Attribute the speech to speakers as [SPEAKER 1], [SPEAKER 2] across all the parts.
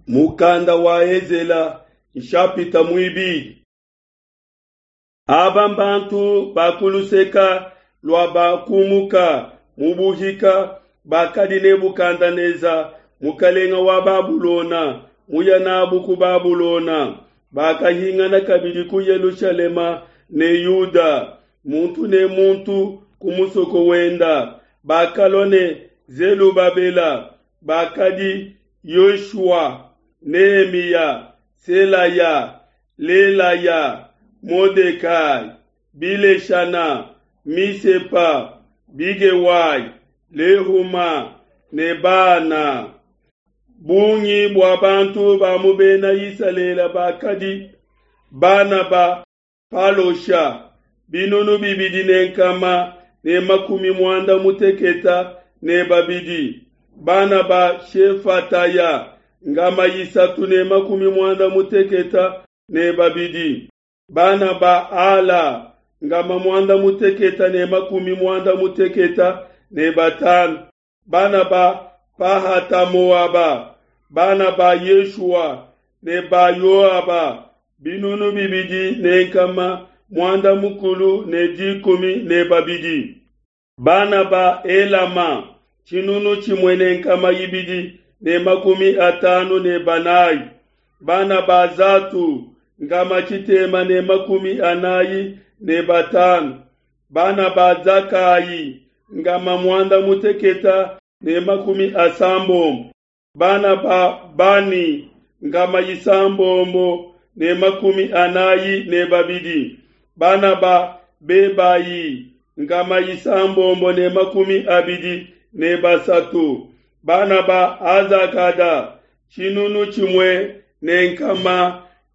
[SPEAKER 1] Mukanda wa Ezela nshapita muibidi. Aba mbantu ba ku luseka lua bakumuka mu buhika bakadi Nebukadenesa mukelenge wa Babulona muya n'abo ku Babulona, bakahingana kabidi ku Yelushalema ne Yuda, muntu ne muntu ku musoko wenda. Bakalua ne Zelubabela, bakadi Yoshua, Nehemiya, Selaya, Lelaya, Modekai, Bileshana, Misepa, Bigewai, Lehuma ne Bana. Bungi bua bantu ba mu bena Isalele bakadi bana ba Palosha 2162, bana ba Shefataya 362, bana ba Ala 895, bana ba Pahata-Moaba, bana ba Yeshua ne ba Yoaba 2612, bana ba Elama 1254, bana ba Zatu 645, bana ba Zakayi 860, bana ba Bani 642, bana ba Bebayi 623, bana ba Azakada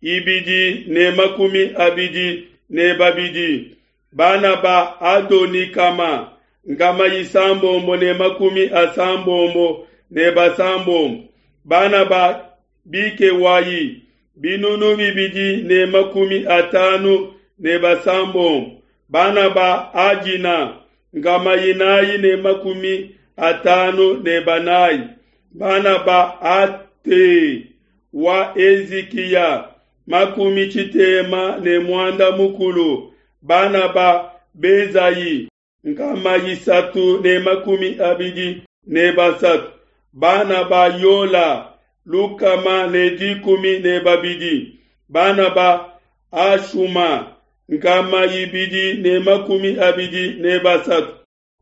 [SPEAKER 1] 1222, bana ba Adonikama 686, bana ba Bikewayi 2056, bana ba Ajina 454, bana ba Ate wa Ezikiya 70, bana ba Bezayi 323, bana ba Yola 112, bana ba Ashuma 223,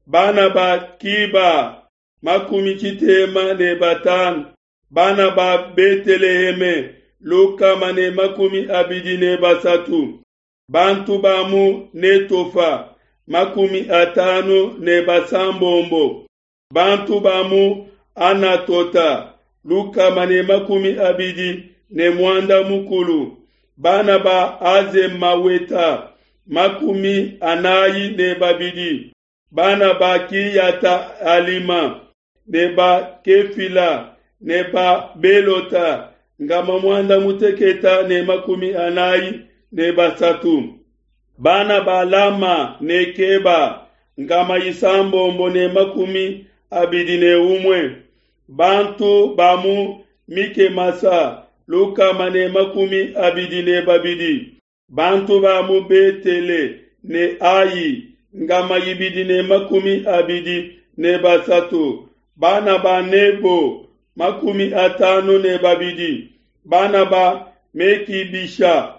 [SPEAKER 1] bana ba Kiba 75, bana ba Beteleheme 123, bantu ba mu Netofa 56, bantu ba mu Anatota 130, bana ba Azemaweta 42, bana ba Kiyata Alima ne ba Kefila ne ba Belota 143, bana ba Lama ne Keba 621, bantu ba mu Mikemasa 122, bantu ba mu Betele ne Ai 223, bana ba Nebo 52, bana ba Mekibisha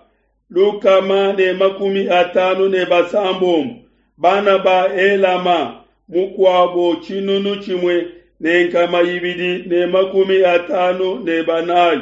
[SPEAKER 1] 156, bana ba Elama mukuabo 1254,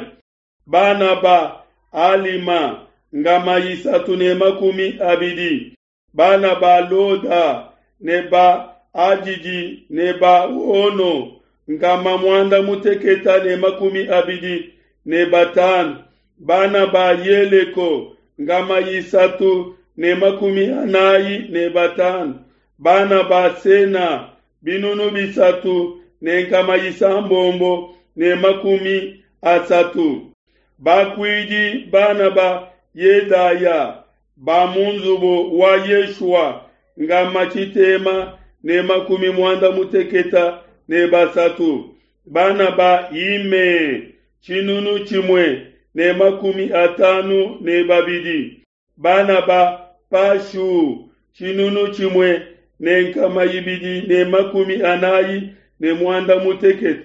[SPEAKER 1] bana ba Alima 320, bana ba Loda ne ba Adidi ne ba Ono 85, bana ba Yeleko 345, bana ba Sena 3630, bakuidi bana ba Yedaya ba mu nzubu wa Yeshua 683, bana ba Ime 1,052. Bana ba Pashu 1248.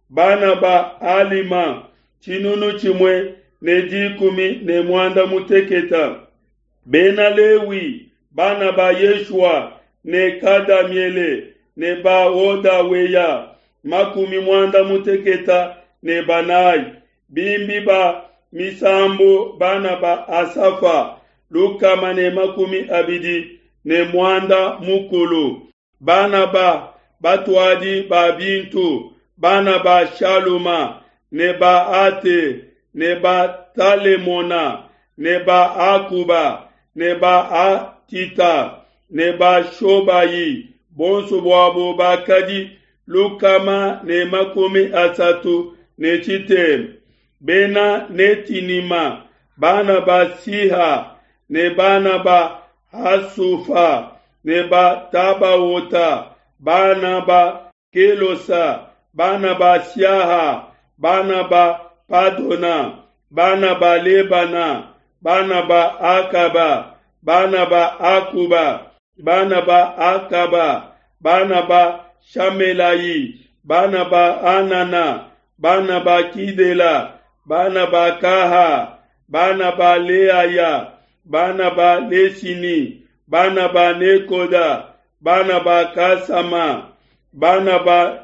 [SPEAKER 1] Bana ba Alima 1016. Bena Lewi, bana ba Yeshua ne Kadamiele ne ba Hodaweya 94. Bimbi ba misambu bana ba Asafa 126. Bana ba batuadi ba bintu, bana ba Shaluma ne ba Ate ne ba Talemona ne ba Akuba ne ba Atita ne ba Shobayi, bonso buabo bakadi 136. Bena Netinima, bana ba Siha ne bana ba Hasufa ne ba Tabaota, bana ba Kelosa, bana ba Siaha, bana ba Padona, bana ba Lebana, bana ba Akaba, bana ba Akuba, bana ba Akaba, bana ba Shamelayi, bana ba Anana, bana ba Kidela, bana ba Kaha, bana ba Leaya, bana ba Lesini, bana ba Nekoda, bana ba Kasama, bana ba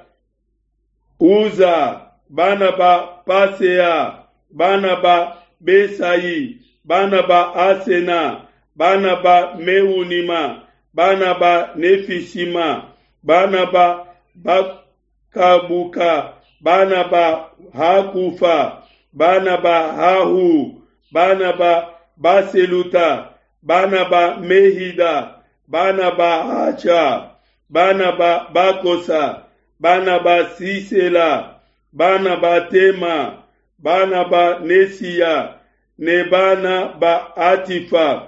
[SPEAKER 1] Uza, bana ba Pasea, bana ba Besai, bana ba Asena, bana ba Meunima, bana ba Nefisima, bana ba Bakabuka, bana ba Hakufa, bana ba Hahu, bana ba Baseluta, bana ba Mehida, bana ba Hacha, bana ba Bakosa, bana ba Sisela, bana ba Tema, bana ba Nesia, ne bana ba Atifa,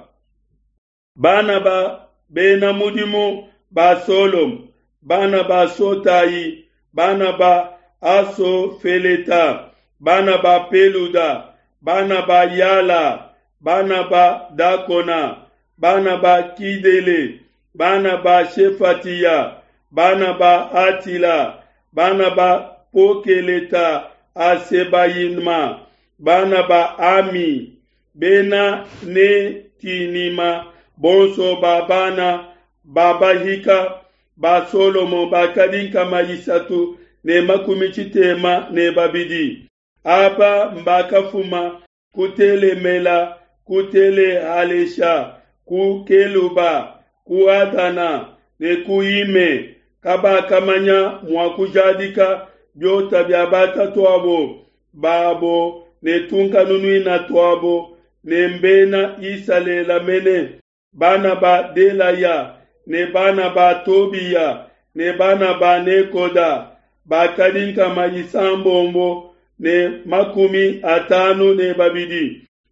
[SPEAKER 1] bana ba bena mudimu ba Solom, bana ba Sotai, bana ba Asofeleta, bana ba Peluda, bana ba Yala, bana ba Dakona, bana ba Kidele, bana ba Shefatia, bana ba Atila, bana ba Pokeleta Asebayinma, bana ba Ami, bena Netinima, bonso ba bana babahika ba Solomo bakadi 362. Aba mbakafuma kutelemela kutelehalesha ku Keluba ku Adana ne ku Ime kabakamanya mua kujadika biota bia batatuabo babo ne tunkanunuina tuabo ne mbena Isalela mene bana ba Delaya ne bana ba Tobiya ne bana ba Nekoda bakadi 652.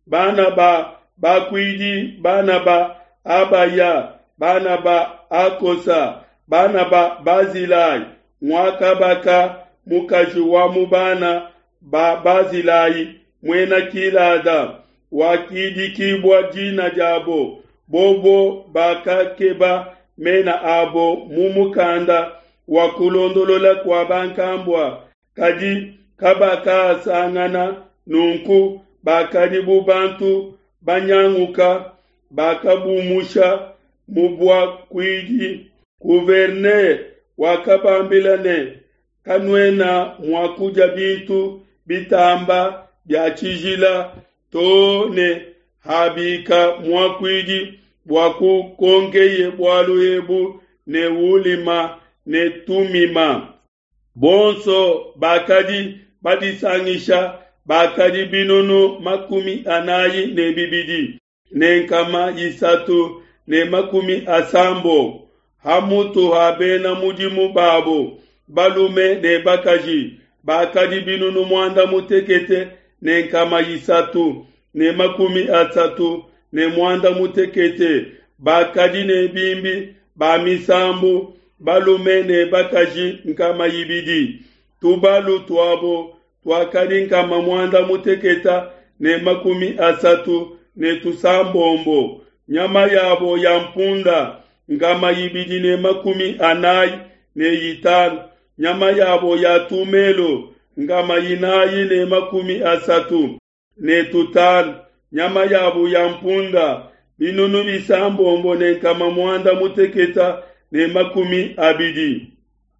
[SPEAKER 1] Bana ba bakuidi, bana ba Abaya, bana ba Akosa, bana ba Bazilai, mwakabaka mukaji wa mubana ba Bazilai mwena Kilada wakidikibwa jina jabo bobo bakakeba mena abo mumukanda wa kulondolola kwa bankambwa kadi kabakasangana nunku bakadi bu bantu banyanguka bakabumusha mubwakuidi. Gouverneur wakabambila ne kanuena mua kudia bintu bitamba bia tshijila to ne habika muakuidi bua kukonkeye bualu ebu ne ulima ne tumima. Bonso bakadi badisangisha bakadi 42 ne 360 hamutu ha bena mudimu babo balume ne bakaji bakadi 86 ne 336 bakadi ne bimbi ba misambu balume ne bakaji 200. Tubalu tuabo tuakadi nkama muanda mutekete ne makumi asatu ne tusambombo, nyama yabo ya mpunda nkama ibidi ne makumi anai ne itanu, nyama yabo ya tumelo nkama inai ne makumi asatu ne tutanu, nyama yabo ya mpunda binunu bisambombo ne nkama muanda mutekete ne makumi abidi.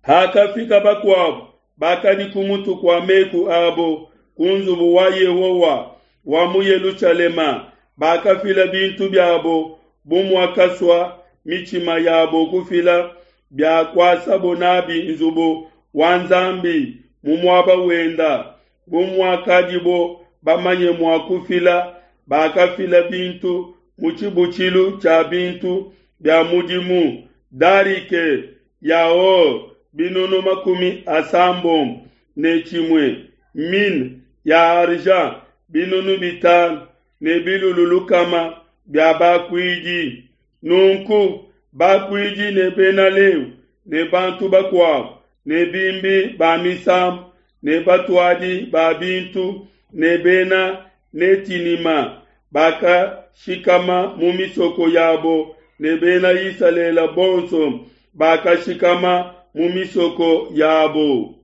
[SPEAKER 1] Hakafika bakuabo bakadi ku mutu kua meku abo ku nzubu wa Yehowa wa mu Yelushalema, bakafila bintu biabo bu muakasua mitshima yabo kufila bia kuasabo nabi nzubu wa Nzambi mu muaba wenda, bu muakadibo bamanye mua kufila, bakafila bintu mu tshibutshilu tshia bintu bia mudimu, darike ya or binunu makumi asambombo ne tshimue, mine ya argent binunu bitanu ne bilulu lukama bia bakuidi. Nunku bakuidi ne Bena Lewi ne bantu bakuabo ne bimbi ba misambu ne batuadi ba bintu ne bena Netinima bakashikama mu misoko yabo ne Bena Isalele bonso bakashikama mu misoko yabo.